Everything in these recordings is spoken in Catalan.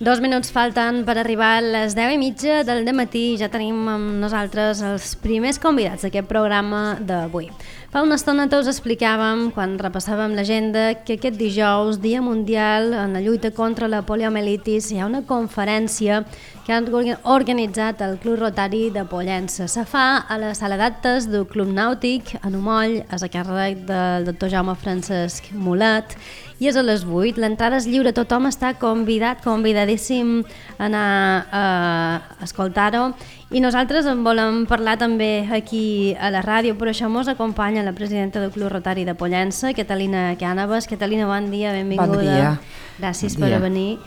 2 minuts falten per arribar a les 10:30 del matí i ja tenim amb nosaltres els primers convidats d'aquest programa d'avui. Fa una estona tots explicàvem, quan repassàvem l'agenda, que aquest dijous, Dia Mundial en la lluita contra la poliomielitis, hi ha una conferència que han organitzat el Club Rotari de Pollença. Se fa a la sala d'actes del Club Nàutic, a Numoll, a càrrec del doctor Jaume Francesc Mulet, i és a les 8. L'entrada és lliure, tothom està convidadíssim a anar a escoltar-ho. I nosaltres en volem parlar també aquí a la ràdio, per això ens acompanya la presidenta del Club Rotari de Pollença, Catalina Cànovas. Catalina, bon dia, benvinguda. Bon dia. Gràcies per venir.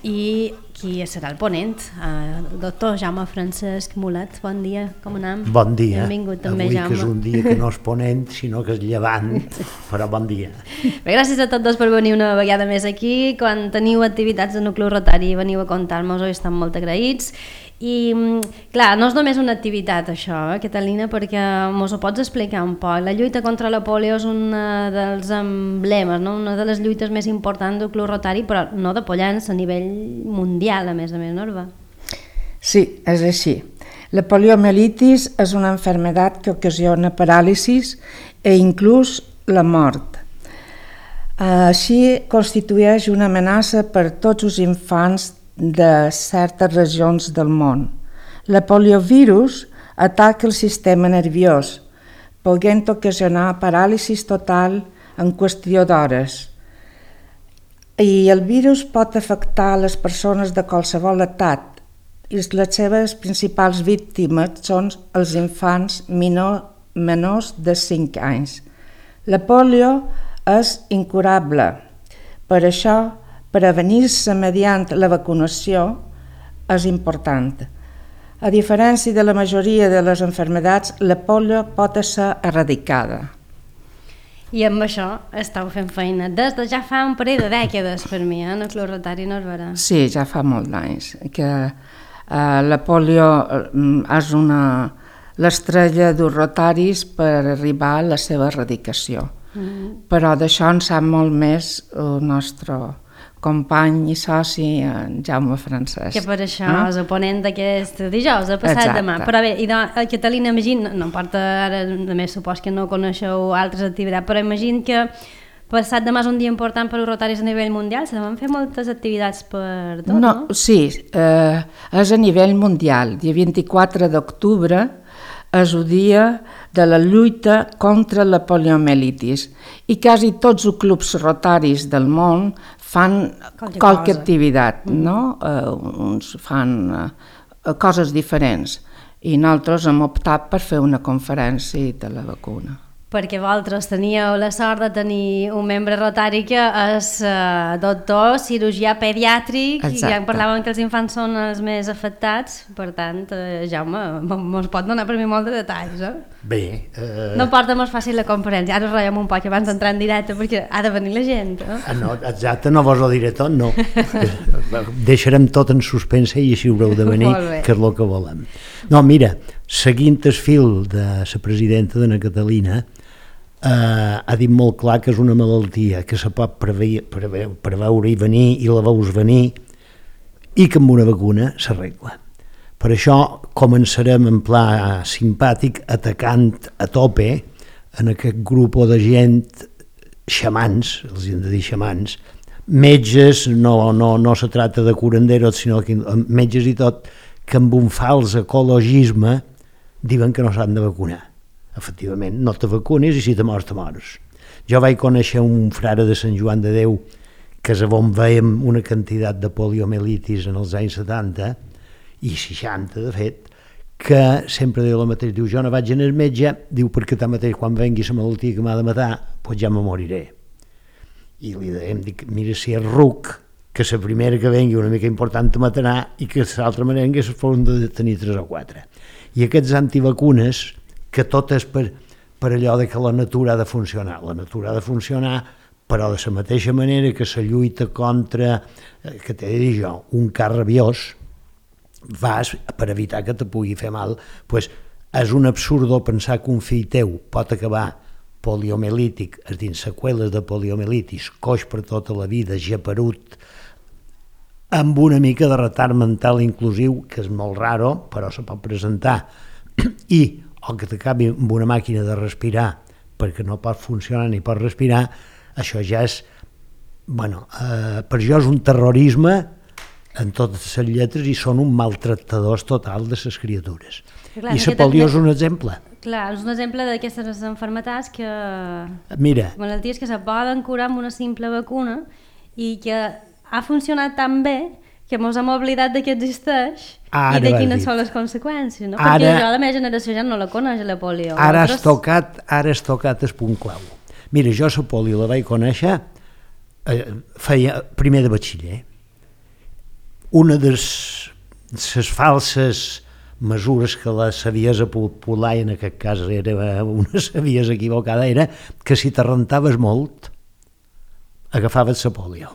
I qui serà el ponent? El doctor Jaume Francesc Mulet. Bon dia, com anem? Bon dia. Benvingut també, Avui Jaume. que és un dia que no és ponent, sinó que és llevant, però bon dia. Bé, gràcies a tots dos per venir una vegada més aquí. Quan teniu activitats en el Club Rotari veniu a contar-nos-ho i estem molt agraïts. I, clar, no és només una activitat això, Catalina, perquè mos ho pots explicar un poc. La lluita contra la polio és un dels emblemes, no? Una de les lluites més importants del Club Rotari, però no de Pollença, a nivell mundial, a més, no, Orba? Sí, és així. La poliomielitis és una enfermedad que ocasiona paràlisis e inclús la mort. Així constitueix una amenaça per tots els infants de certes regions del món. La poliovirus ataca el sistema nerviós, podent ocasionar paràlisis total en qüestió d'hores. I el virus pot afectar les persones de qualsevol edat i les seves principals víctimes són els infants menors de 5 anys. La polio és incurable, per això prevenir-se mediante la vacunació és important. A diferència de la majoria de les malalties, la polio pot ser erradicada. I amb això estàu fent feina des de ja fa un parell de dècades per mi, en el Club Rotari Norberà. Sí, ja fa molts anys que la polio és l'estrella dels rotaris per arribar a la seva erradicació. Però d'això en sap molt més el nostre company i soci, en Jaume Francesc. Que per això és el ponent d'aquest dijous, el passat demà. Però bé, Catalina, imagina, no importa, ara només supos que no coneixeu altres activitats, però imagina que passat demà és un dia important per als rotaris a nivell mundial, se van fer moltes activitats per tot, no? Sí, és a nivell mundial. Dia 24 d'octubre és el dia de la lluita contra la poliomielitis i quasi tots els clubs rotaris del món fan qualque activitat, no? Uns fan coses diferents i nosaltres hem optat per fer una conferència de la vacuna. Perquè vosaltres teníeu la sort de tenir un membre rotari que és doctor, cirurgià pediàtric. Exacte. I ja parlàvem que els infants són els més afectats, per tant, Jaume, mos pot donar per mi molt de detalls, Bé... No porta molt fàcil la conferència, ara us ratllem un poc abans d'entrar en directe perquè ha de venir la gent, No, exacte, no vos ho diré tot, no. Deixarem tot en suspense i així haureu de venir, que és el que volem. No, mira, seguint el fil de la presidenta de la Catalina, ha dit molt clar que és una malaltia que se pot preveure i venir i la veus venir i que amb una vacuna s'arregla. Per això començarem en pla simpàtic atacant a tope en aquest grup de gent, xamans, els hem de dir xamans, metges, no se trata de curanderos, sinó que metges i tot, que amb un fals ecologisme diuen que no s'han de vacunar. Efectivament, no te vacunes i si te mors, te mors. Jo vaig conèixer un frare de Sant Joan de Déu que és on veiem una quantitat de poliomielitis en els anys 70 i 60, de fet, que sempre diu el mateix, diu, jo no vaig anar al metge, diu, perquè tanmateix quan vengui la malaltia que m'ha de matar, doncs ja me moriré. I li dèiem, dic, mira si és ruc, que la primera que vengui una mica important te matarà i que l'altra merenga es poden de tenir 3 o 4. I aquests antivacunes, que tot és per allò de que la natura ha de funcionar. La natura ha de funcionar, però de la mateixa manera que la lluita contra, que t'he de dir jo, un car rabiós, vas per evitar que te pugui fer mal, doncs és un absurdo pensar que un fill teu pot acabar poliomielític, és dir, seqüeles de poliomielitis, coix per tota la vida, geperut, amb una mica de retard mental inclusiu, que és molt raro, però se pot presentar, o que t'acabi amb una màquina de respirar perquè no pot funcionar ni pot respirar, això ja és, per jo és un terrorisme en totes les lletres i són un maltractadors total de les criatures. I la polió és un exemple. Clar, és un exemple d'aquestes malalties que... Mira. Malalties que se poden curar amb una simple vacuna i que ha funcionat tan bé que ens hem oblidat de que existeix i de quines són les conseqüències, no? Perquè jo, la meva generació ja no la coneix, la polio. Ara has tocat el punt clau. Mira, jo la polio la vaig conèixer feia primer de batxiller. Una de les falses mesures que la saviesa popular, en aquest cas era una saviesa equivocada, era que si te rentaves molt, agafaves la polio.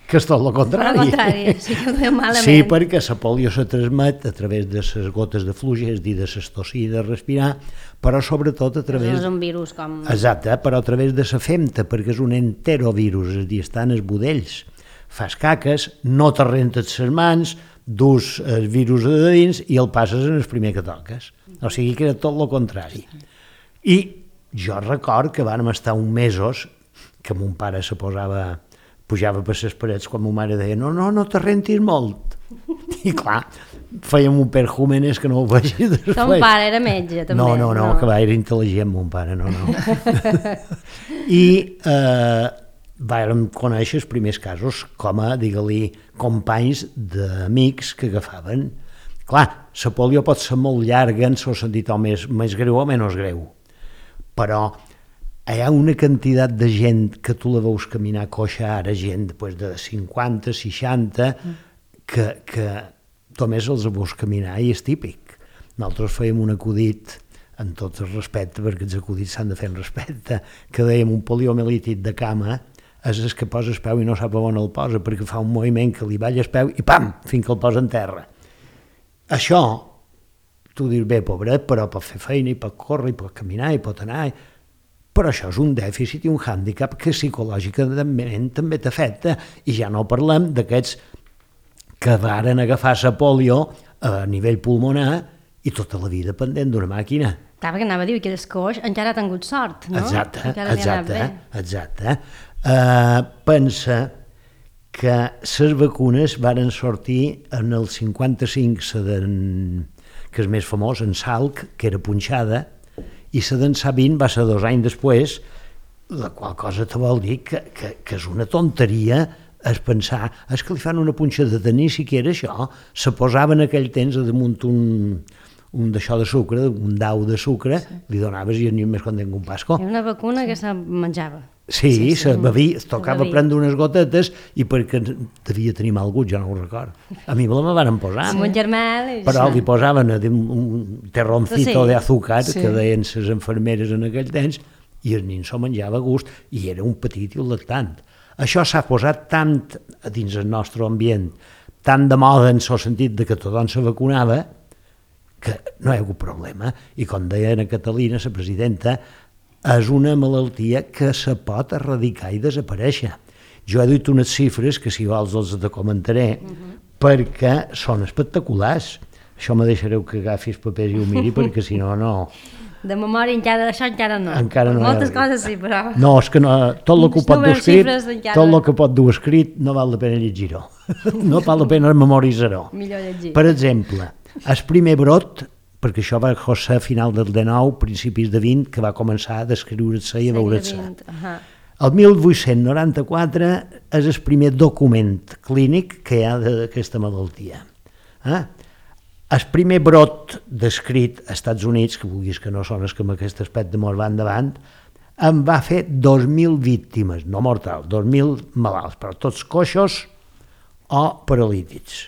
Que és tot el contrari. Sí que ho deia malament. Sí, perquè la polio se transmet a través de les gotes de fluix, és a dir, de les tossir i de respirar, però sobretot a través... És un virus com... Exacte, però a través de la femta, perquè és un enterovirus, és a dir, estan els budells. Fas caques, no te rentes les mans, dus el virus de dins i el passes en el primer que toques. O sigui que era tot el contrari. I jo record que vàrem estar uns mesos que mon pare pujava per les parets quan ma mare deia no te rentis molt. I clar, fèiem un perjúmenes que no ho vegi després. Ton pare era metge, també. No, que va, era intel·ligent mon pare, no. I vàrem conèixer els primers casos com a, digue-li, companys d'amics que agafaven. Clar, la polio pot ser molt llarga en el sentit o més greu o menys greu, però hi ha una quantitat de gent que tu la veus caminar coixa ara, gent de 50, 60, que només els veus caminar i és típic. Nosaltres fèiem un acudit, en tot el respecte, perquè els acudits s'han de fer en respecte, que dèiem un poliomielític de cama, és el que posa el peu i no sap on el posa, perquè fa un moviment que li balla el peu i pam, fins que el posa en terra. Això, tu dius, bé, pobret, però pot fer feina i pot córrer, i pot caminar, i pot anar... Però això és un dèficit i un hàndicap que psicològicament també t'afecta, i ja no parlem d'aquests que varen agafar la polio a nivell pulmonar i tota la vida pendent d'una màquina. Clar, perquè anava a dir que el coix encara ha tingut sort, no? Exacte. Pensa que les vacunes varen sortir en el 55, que és més famós, en Salk, que era punxada, i la d'en Sabin va ser 2 anys després, la qual cosa te vol dir que és una tonteria és pensar, és que li fan una punxada de ni siquiera això, se posava en aquell temps a damunt un d'això de sucre, un dau de sucre, li donaves i ni més content que un pasco. Era una vacuna que se menjava. Sí, se bevia, tocava prendre unes gotetes i perquè devia tenir mal gust, jo no ho record. A mi me la van posar. Amb un germà... Però li posaven un terroncito d'azúcar, que deien les infermeres en aquell temps, i el nin s'ho menjava a gust, i era un petit i lactant. Això s'ha posat tant dins el nostre ambient, tant de moda en el sentit de que tothom se vacunava, que no hi ha hagut problema. I com deia Ana Catalina, la presidenta, és una malaltia que se pot erradicar i desaparèixer. Jo he dit unes xifres que si vols els te comentaré, perquè són espectaculars. Això me deixareu que agafis papers i ho miri, perquè si no, no... De memòria això encara no. Encara no. Moltes coses sí, però... No, és que no, tot el que pot dur escrit, tot el que pot dur escrit no val la pena llegir-ho. No val la pena memoritzar-ho. Millor llegir. Per exemple, el primer brot, perquè això va ser a final del 19, principis de 20, que va començar a descriure-se i a veure-se. El 1894 és el primer document clínic que hi ha d'aquesta malaltia. El primer brot descrit als Estats Units, que vulguis que no són els que amb aquest aspecte mos va endavant, en va fer 2.000 víctimes, no mortals, 2.000 malalts, però tots coixos o paralítics.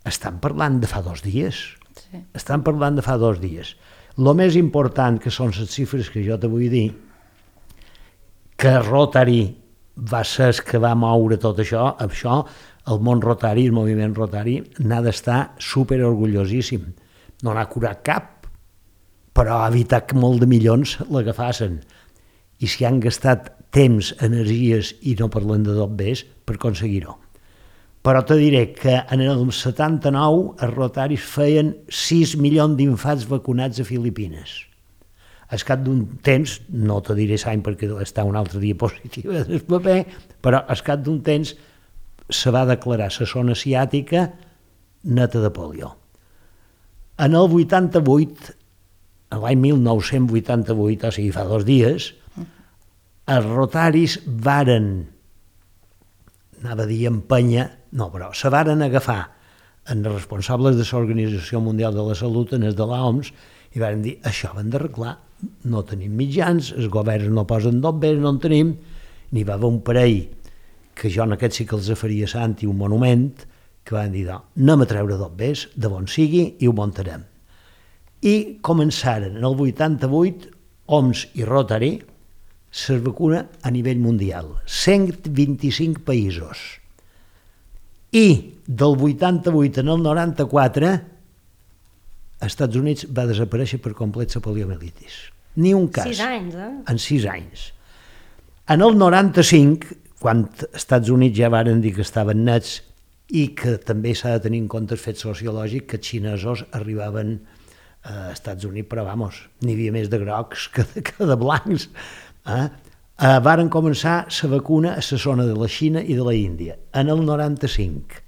Estan parlant de fa 2 dies. Sí. Estan parlant de fa 2 dies. El més important, que són les xifres que jo te vull dir, que Rotary va ser el que va moure tot això, el món Rotary, el moviment Rotary, n'ha d'estar superorgullosíssim. No n'ha curat cap, però ha evitat que molt de milions l'agafassin. I s'hi han gastat temps, energies, i no parlem de tot més, per aconseguir-ho. Però te diré que en el 79 els rotaris feien 6 milions d'infants vacunats a Filipines. Al cap d'un temps, no te diré l'any perquè està una altra diapositiva del paper, però al cap d'un temps se va declarar la zona asiàtica neta de polio. En el 88, l'any 1988, o sigui fa 2 dies, els rotaris varen, anava a dir empènyer, no, però se varen agafar en els responsables de l'Organització Mundial de la Salut, en els de l'OMS, i varen dir, això ho hem d'arreglar, no tenim mitjans, els governs no posen dobbers, no en tenim, n'hi va haver un parell, que jo en aquest sí que els faria sant i un monument, que van dir, anem a treure dobbers, de bon sigui, i ho muntarem. I començaren en el 88, OMS i Rotary, se vacuna a nivell mundial, 125 països. I del 88 en el 94, als Estats Units va desaparèixer per complet la poliomielitis. Ni un cas. 6 anys, eh? En 6 anys. En el 95, quan als Estats Units ja varen dir que estaven nets i que també s'ha de tenir en compte el fet sociològic que els xinesos arribaven als Estats Units, però vamos, n'hi havia més de grocs que de blancs. Varen començar la vacuna a la zona de la Xina i de la Índia. En el 95,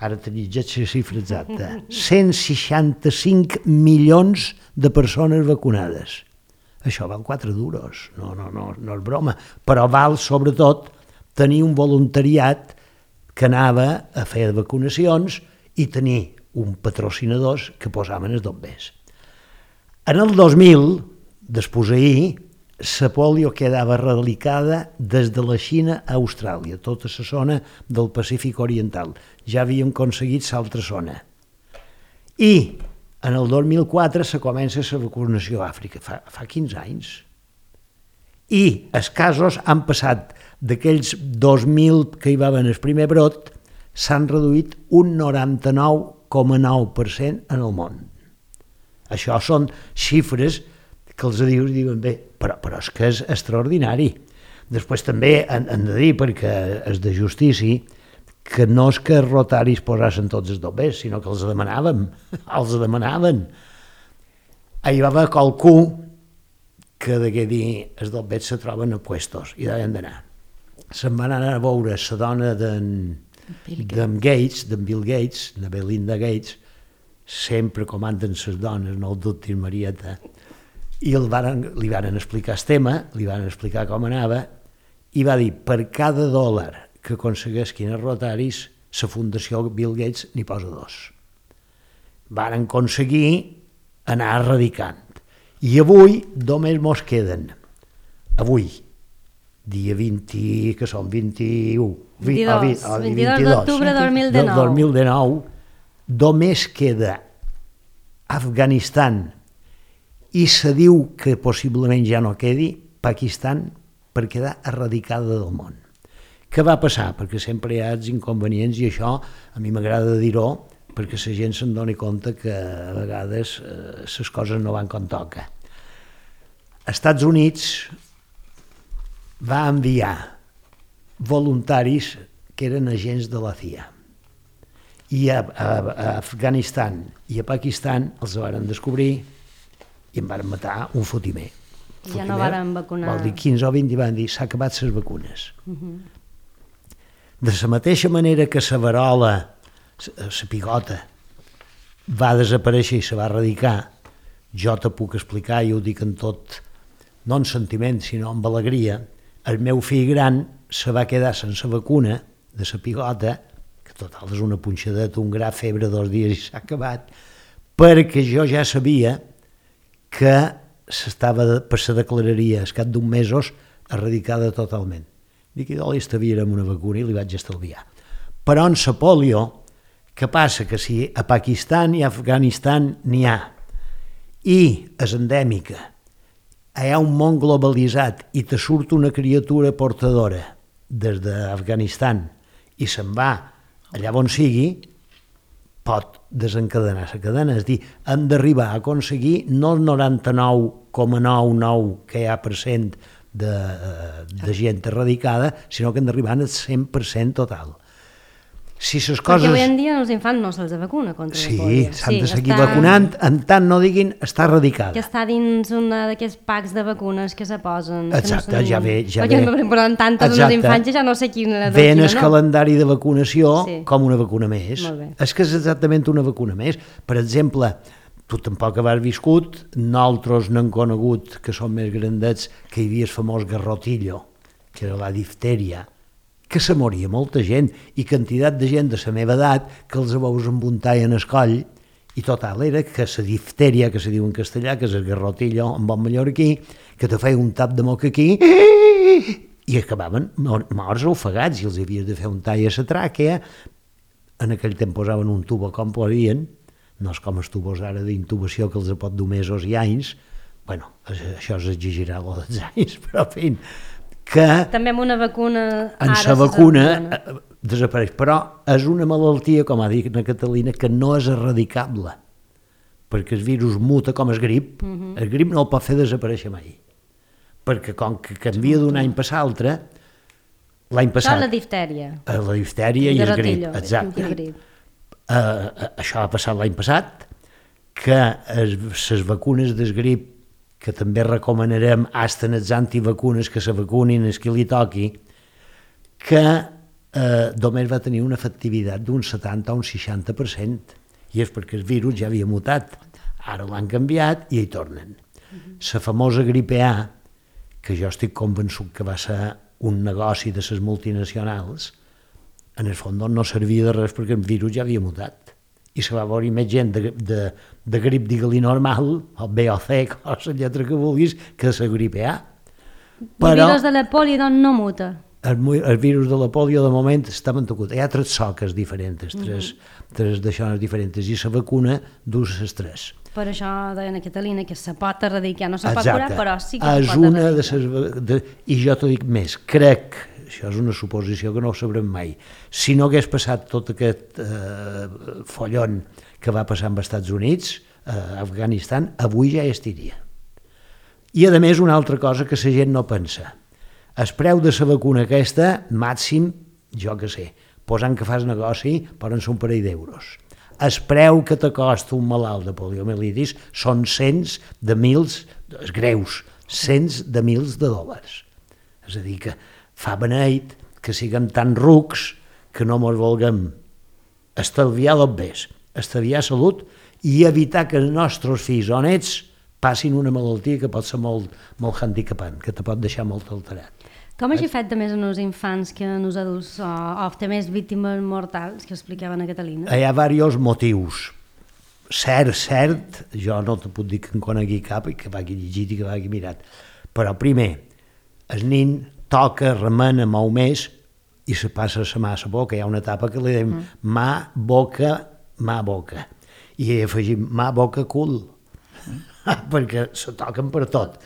ara tenia ja la xifra exacta, 165 milions de persones vacunades. Això val 4 duros, no és broma, però val sobretot tenir un voluntariat que anava a fer vacunacions i tenir un patrocinadors que posaven els dobbers. En el 2000, després d'ahir, la polio quedava erradicada des de la Xina a Austràlia, tota la zona del Pacífic Oriental. Ja havíem aconseguit l'altra zona. I en el 2004 se comença la vacunació a Àfrica, fa 15 anys. I els casos han passat d'aquells 2.000 que hi va haver en el primer brot, s'han reduït un 99,9% en el món. Això són xifres que els diuen bé, però és que és extraordinari. Després també han de dir, perquè és de justícia, que no és que els rotaris posassin tots els dobbers, sinó que els demanàvem. Hi va haver qualcú que degué dir els dobbers se troben a puestos i deien d'anar. Se'n van anar a veure la dona d'en Bill Gates, de Belinda Gates, sempre comanden les dones, no ho dubtis, Marieta, i li van explicar el tema, li van explicar com anava, i va dir, per cada $1 que aconseguessin els rotaris, la Fundació Bill Gates n'hi posa 2. Van aconseguir anar erradicant. I avui només mos queden, avui, dia 20, que són 21, 22 d'octubre de 2019, només queda Afganistan, i se diu que possiblement ja no quedi Pakistan per quedar erradicada del món. Què va passar? Perquè sempre hi ha els inconvenients i això a mi m'agrada dir-ho perquè la gent se'n doni compte que a vegades les coses no van com toca. Els Estats Units va enviar voluntaris que eren agents de la CIA i a Afganistan i a Pakistan els van descobrir i em van matar un fotimer. Ja no van vacunar. Vol dir 15 o 20 i van dir s'ha acabat les vacunes. De la mateixa manera que la verola, la pigota, va desaparèixer i se va erradicar, jo te puc explicar, i ho dic en tot, no en sentiment, sinó amb alegria, el meu fill gran se va quedar sense vacuna de la pigota, que total és una punxadeta, un gra, febre 2 dies i s'ha acabat, perquè jo ja sabia que se declararia al cap d'un mesos erradicada totalment. Dic, idò, estavíem una vacuna i li vaig estalviar. Però en la polio, què passa? Que si a Pakistan i a Afganistan n'hi ha, i és endèmica, hi ha un món globalitzat i te surt una criatura portadora des d'Afganistan i se'n va allà on sigui, pot desencadenar la cadena, és a dir, hem d'arribar a aconseguir no el 99,99 que hi ha % de gent erradicada, sinó que hem d'arribar al 100% total. si les coses... Perquè avui en dia els infants no se'ls vacuna contra la pòlio. Sí, s'han de seguir vacunant, en tant no diguin està erradicada. Que està dins una d'aquests packs de vacunes que se posen. Exacte, ja ve. Perquè no poden tantes els infants i ja no sé quina... Ve en el calendari de vacunació com una vacuna més. És que és exactament una vacuna més. Per exemple, tu tampoc has viscut, nosaltres n'hem conegut, que són més grandets, que hi havia el famós garrotillo, que era la diftèria, que se moria molta gent, i quantitat de gent de la meva edat que els veus embuntar-hi en el coll, i total era que la diftèria, que se diu en castellà, que és el garrotillo en bon mallorquí, que te feia un tap de moc aquí, i acabaven morts o ofegats, i els havies de fer un tall a la tràquea. En aquell temps posaven un tubo com podien, no és com els tubos ara d'intubació que els pot dur mesos i anys, bueno, això és exagerar lo dels anys, però en fi, que també amb una vacuna en la vacuna desapareix, però és una malaltia, com ha dit la Catalina, que no és erradicable, perquè el virus muta com el grip, el grip no el pot fer desaparèixer mai, perquè com que canvia d'un any per l'altre, l'any passat... La diftèria. La diftèria i el grip, exacte. Això ha passat l'any passat, que les vacunes del grip, que també recomanarem hasta en els antivacunes que se vacunin els que li toqui, que només va tenir una efectivitat d'un 70 o un 60%, i és perquè el virus ja havia mutat. Ara l'han canviat i hi tornen. La famosa gripe A, que jo estic convençut que va ser un negoci de les multinacionals, en el fons no servia de res perquè el virus ja havia mutat. I se va veure més gent de grip, digue-li normal, o B o C, o la lletra que vulguis, que la grip A. Però el virus de la pòlio doncs no muta. El virus de la pòlio de moment està mantegut. Hi ha 3 soques diferents, 3 d'aixònes diferents, i la vacuna dus les 3. Per això deia la Catalina que se pot erradicar, no se pot curar, però sí que se pot erradicar. I jo t'ho dic més, crec, això és una suposició que no ho sabrem mai, si no hagués passat tot aquest follon que va passar amb els Estats Units, a Afganistan, avui ja hi estiria. I a més una altra cosa que la gent no pensa, el preu de la vacuna aquesta, màxim, jo que sé, posant que fas negoci, poden ser un parell d'euros. El preu que t'acosta un malalt de poliomielitis són cents de mils, greus, cents de mils de dòlars. És a dir, que fa beneit que siguem tan rucs que no ens vulguem estalviar els bés, estalviar salut i evitar que els nostres fills o nets passin una malaltia que pot ser molt handicapant, que te pot deixar molt alterat. Com hagi fet més en els infants que en els adults o té més víctimes mortals que explicaven a Catalina? Hi ha diversos motius. Cert, jo no te puc dir que en conegui cap i que vagi llegit i que vagi mirat, però primer, el nin toca, remena, mou més i se passa la mà a la boca. Hi ha una etapa que li diem mà, boca, i hi afegim mà, boca, cul, perquè se toquen per tot.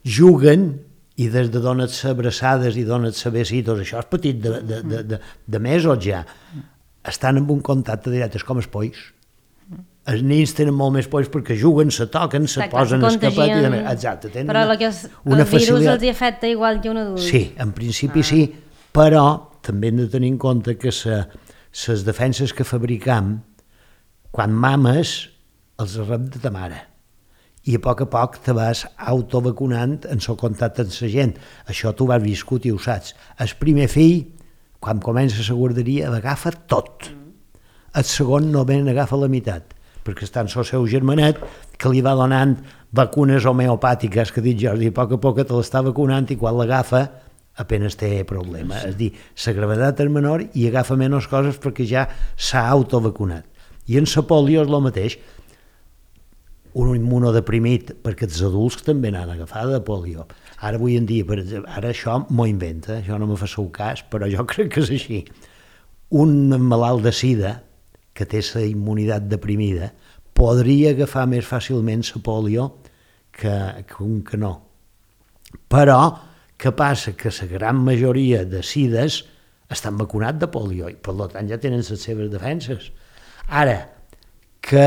Juguen i des de donar-se abraçades i donar-se besitos, això és petit de mesos ja, estan en un contacte directe, és com els polls. Els nins tenen molt més polls perquè juguen, se toquen, se posen escapat i demés. Exacte, tenen però el virus els afecta igual que un adult. Sí, en principi sí, però també hem de tenir en compte que les defenses que fabricam, quan mames, els rep de ta mare. I a poc te vas autovacunant en el contacte amb la gent. Això tu vas viscut i ho saps. El primer fill, quan comença la guarderia, agafa tot. El segon només agafa la meitat, perquè està en el seu germanet, que li va donant vacunes homeopàtiques, que dic Jordi, a poc te l'està vacunant i quan l'agafa apenas té problema. És a dir, la gravetat és menor i agafa menys coses perquè ja s'ha autovacunat. I en la pòlio és el mateix. Un immunodeprimit, perquè els adults també n'han agafat de pòlio. Ara avui en dia, per exemple, ara això m'ho inventa, això no me fa seu cas, però jo crec que és així. Un malalt de sida, que té la immunitat deprimida, podria agafar més fàcilment la pòlio que un que no. Però, què passa? Que la gran majoria de sides estan vacunats de pòlio i, per tant, ja tenen les seves defenses. Ara, que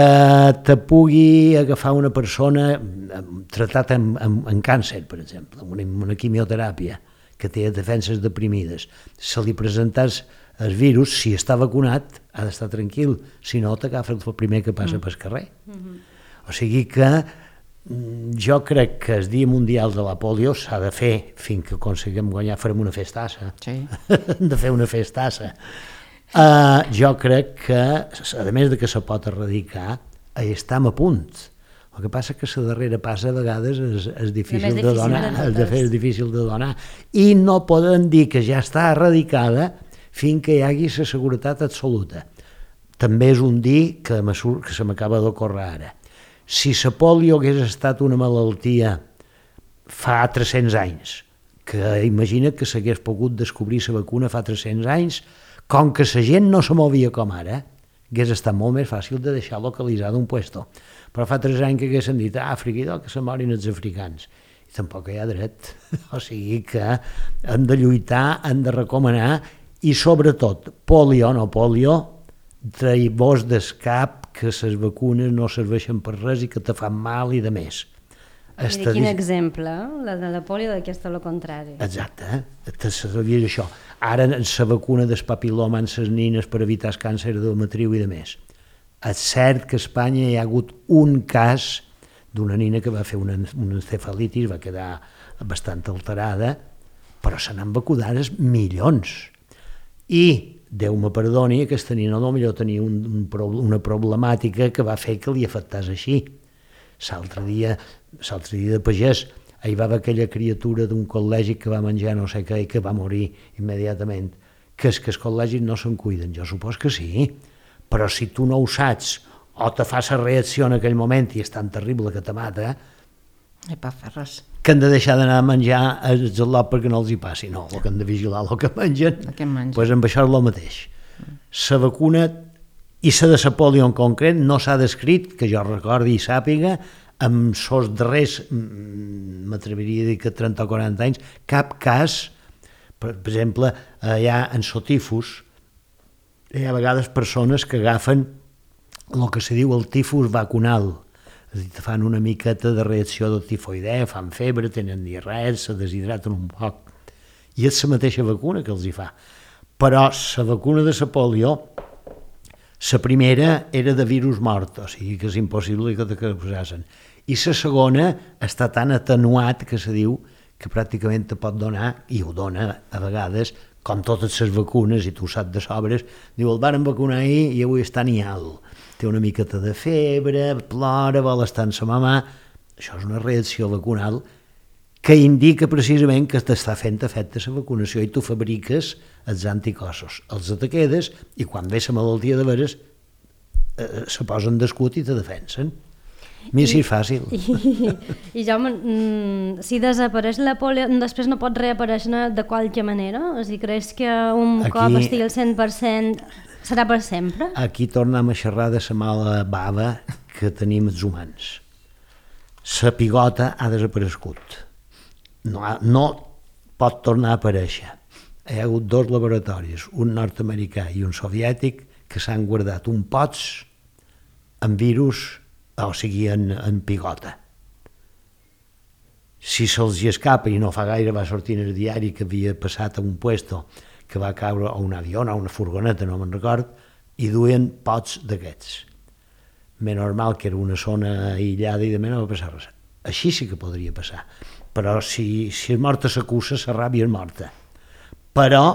te pugui agafar una persona tratat amb càncer, per exemple, amb una quimioteràpia, que té defenses deprimides, se li presentàs el virus, si està vacunat, ha d'estar tranquil, si no, t'agafa el primer que passa pel carrer. O sigui que jo crec que el Dia Mundial de la Polio s'ha de fer fins que aconseguim guanyar, farem una festassa. Sí. Hem de fer una festassa. Jo crec que, a més de que se pot erradicar, estem a punt. El que passa que la darrera passa a vegades és difícil de donar, és difícil de donar. I no poden dir que ja està erradicada fins que hi hagi la seguretat absoluta. També és un dir que se m'acaba d'ocórrer ara. Si la polio hagués estat una malaltia fa 300 anys, que imagina que s'hagués pogut descobrir la vacuna fa 300 anys, com que la gent no se movia com ara, hagués estat molt més fàcil de deixar localitzat un puesto. Però fa 3 anys que haguessin dit a Àfrica que se morin els africans. I tampoc hi ha dret. O sigui que hem de lluitar, hem de recomanar i sobretot, polio o no polio, trair-vos del cap que les vacunes no serveixen per res i que te fan mal i de més. Quin exemple, la de la polio, que és tot el contrari. Exacte, sabies això. Ara la vacuna del papil·loma en les nines per evitar el càncer de matriu i de més. És cert que a Espanya hi ha hagut un cas d'una nina que va fer una encefalitis, va quedar bastant alterada, però se n'han vacunat milions. I, Déu me perdoni, aquesta nina potser tenia una problemàtica que va fer que li afectés així. L'altre dia de pagès, hi va haver aquella criatura d'un col·legi que va menjar no sé què i que va morir immediatament. Que és que els col·legis no se'n cuiden, jo supos que sí, però si tu no ho saps o te fas la reacció en aquell moment i és tan terrible que te mata, no hi pot fer res. Que han de deixar d'anar a menjar el gelot perquè no els hi passi, no, el que han de vigilar el que mengen, doncs amb això és el mateix. La vacuna i la de la polio en concret no s'ha descrit, que jo recordi i sàpiga, amb els darrers, m'atreviria a dir que 30 o 40 anys, cap cas, per exemple, allà en sotifus, hi ha a vegades persones que agafen el que se diu el tifus vacunal, és a dir, fan una miqueta de reacció de tifoidea, fan febre, tenen diarrea, se deshidraten un poc, i és la mateixa vacuna que els hi fa. Però la vacuna de la polio, la primera era de virus mort, o sigui que és impossible que te posassin. I la segona està tan atenuat que se diu que pràcticament te pot donar, i ho dona a vegades, com totes les vacunes, i tu ho saps de sobres, diu, el varen vacunar ahir i avui està ni alt. Té una miqueta de febre, plora, vol estar en sa mamà. Això és una reacció vacunal que indica precisament que t'està fent efecte la vacunació i tu fabriques els anticossos, els te quedes i quan ve la malaltia de veres se posen d'escut i te defensen. Mira si és fàcil. I Jaume, si desapareix la polio, després no pot reaparèixer de qualque manera? O sigui, creus que un cop estigui al 100% serà per sempre? Aquí tornem a xerrar de la mala bava que tenim els humans. La pigota ha desaparegut. No pot tornar a aparèixer. Hi ha hagut 2 laboratoris, un nord-americà i un soviètic, que s'han guardat un pots amb virus, o sigui, en pigota. Si se'ls escapa, i no fa gaire va sortir en el diari que havia passat a un puesto que va caure a un avió, a una furgoneta, no me'n record, i duien pots d'aquests. Més normal que era una zona aïllada i de més no va passar res. Així sí que podria passar. Però si és morta s'acusa, la ràbia és morta. Però...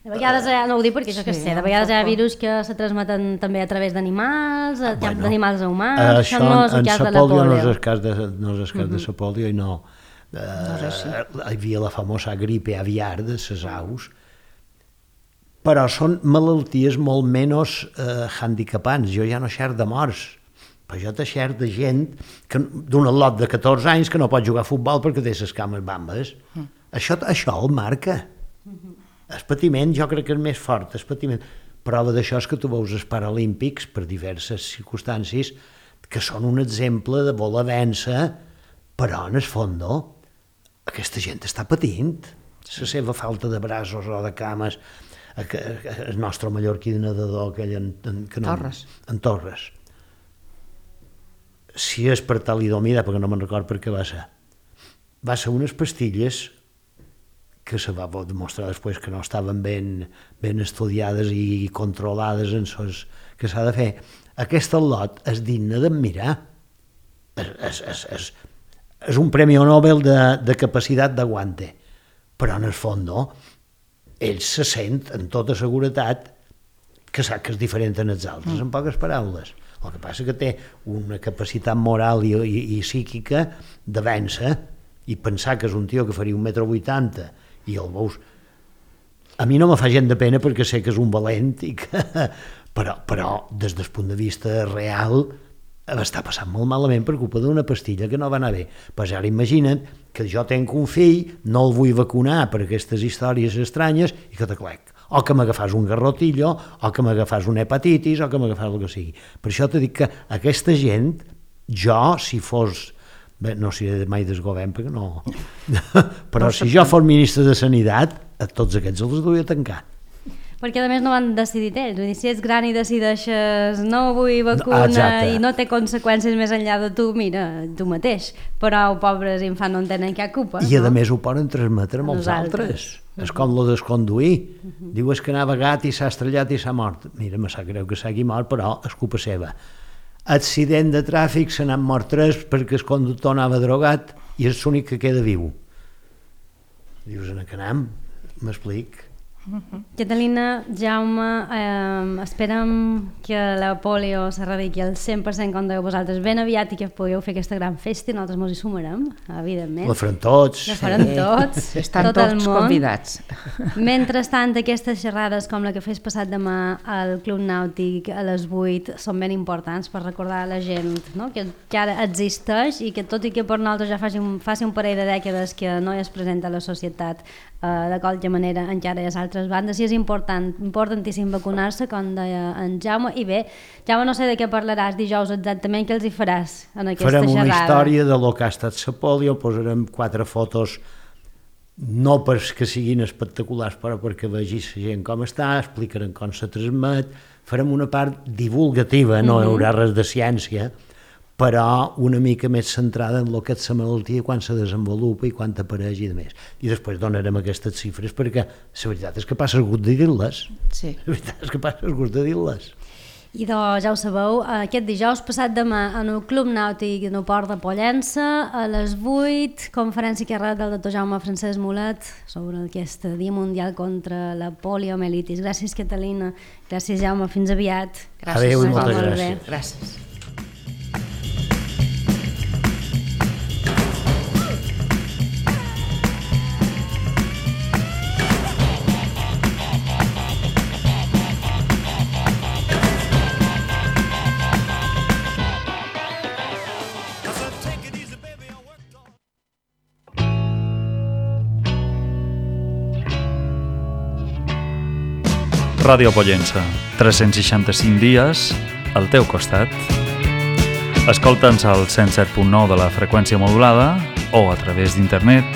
De vegades, no ho dic perquè jo que sé, de vegades hi ha virus que se transmeten també a través d'animals, d'animals a humans, això no és el cas de la polio. No és el cas de la polio i no. Hi havia la famosa gripe aviar de les aus, però són malalties molt menys handicapants. Jo ja no xerc de morts, però jo te xerc de gent d'un lot de 14 anys que no pot jugar a futbol perquè té les cames bambes. Això el marca. El patiment jo crec que és més fort, el patiment. Prova d'això és que tu veus els Paralímpics, per diverses circumstàncies, que són un exemple de voler-vèncer, però en el fons aquesta gent està patint. La seva falta de braços o de cames, el nostre mallorquí de nedador, aquell en Torres. Si és per talidomida, perquè no me'n record per què va ser unes pastilles que se va demostrar després que no estaven ben estudiades i controlades en sos que s'ha de fer. Aquest al·lot és digne d'admirar. És un premi Nobel de capacitat d'aguante, però en el fons ell se sent amb tota seguretat que sap que és diferent en els altres, en poques paraules. El que passa que té una capacitat moral i psíquica de vèncer i pensar que és un tio que faria 1,80 m i el veus... A mi no me fa gent de pena perquè sé que és un valent i que... però des del punt de vista real està passant molt malament per culpa d'una pastilla que no va anar bé. Pues ara imagina't que jo tenc un fill, no el vull vacunar per aquestes històries estranyes i que t'aclec. O que m'agafàs un garrotillo, o que m'agafàs una hepatitis, o que m'agafàs el que sigui. Per això t'he dit que aquesta gent, jo, si fos... Bé, no seré mai del govern, perquè no... Però si jo fos ministre de Sanitat, a tots aquests els duia a tancar. Perquè a més no van decidir ells, vull dir, si ets gran i decideixes no vull vacuna i no té conseqüències més enllà de tu, mira, tu mateix, però pobres infants no en tenen cap culpa. I a més ho poden transmetre amb els altres. És com lo desconduir. Diu és que anava gat i s'ha estrellat i s'ha mort. Mira, me sap greu que s'hagi mort, però és culpa seva. Accident de tràfic, se n'han mort 3 perquè el conductor anava drogat i és l'únic que queda viu. Dius, en Canam, m'explic. Catalina, Jaume, esperem que la polio s'erradiqui al 100% com dèieu vosaltres ben aviat i que pugueu fer aquesta gran festa i nosaltres ens hi sumarem, evidentment. La farem tots. La farem tots. Estan tots convidats. Mentrestant, aquestes xerrades com la que fes passat demà al Club Nàutic a les 8 són ben importants per recordar a la gent, no? que ara existeix i que tot i que per nosaltres ja faci un parell de dècades que no es presenta a la societat de qualsevol manera, encara hi ha altres bandes i és importantíssim vacunar-se, com deia en Jaume. I bé, Jaume, no sé de què parlaràs dijous exactament, què els hi faràs en aquesta xerrada? Farem una història de lo que ha estat la polio, posarem 4 fotos no perquè siguin espectaculars, però perquè vegi la gent com està, explicarem com se transmet, farem una part divulgativa, no hi haurà res de ciència, però una mica més centrada en el que és la malaltia, quan se desenvolupa i quan apareix i de més. I després donarem aquestes xifres perquè la veritat és que passa el gust de dir-les. Sí. La veritat és que passa el gust de dir-les. I doncs ja ho sabeu, aquest dijous passat demà en el Club Nàutic en el Port de Pollença a les 8, conferència que ha del doctor Jaume Francesc Mulet sobre aquest Dia Mundial contra la poliomielitis. Gràcies, Catalina. Gràcies, Jaume. Fins aviat. Gràcies. Adéu i moltes gràcies. Gràcies. Ràdio Pollença, 365 dies al teu costat. Escolta'ns al 107.9 de la freqüència modulada o a través d'internet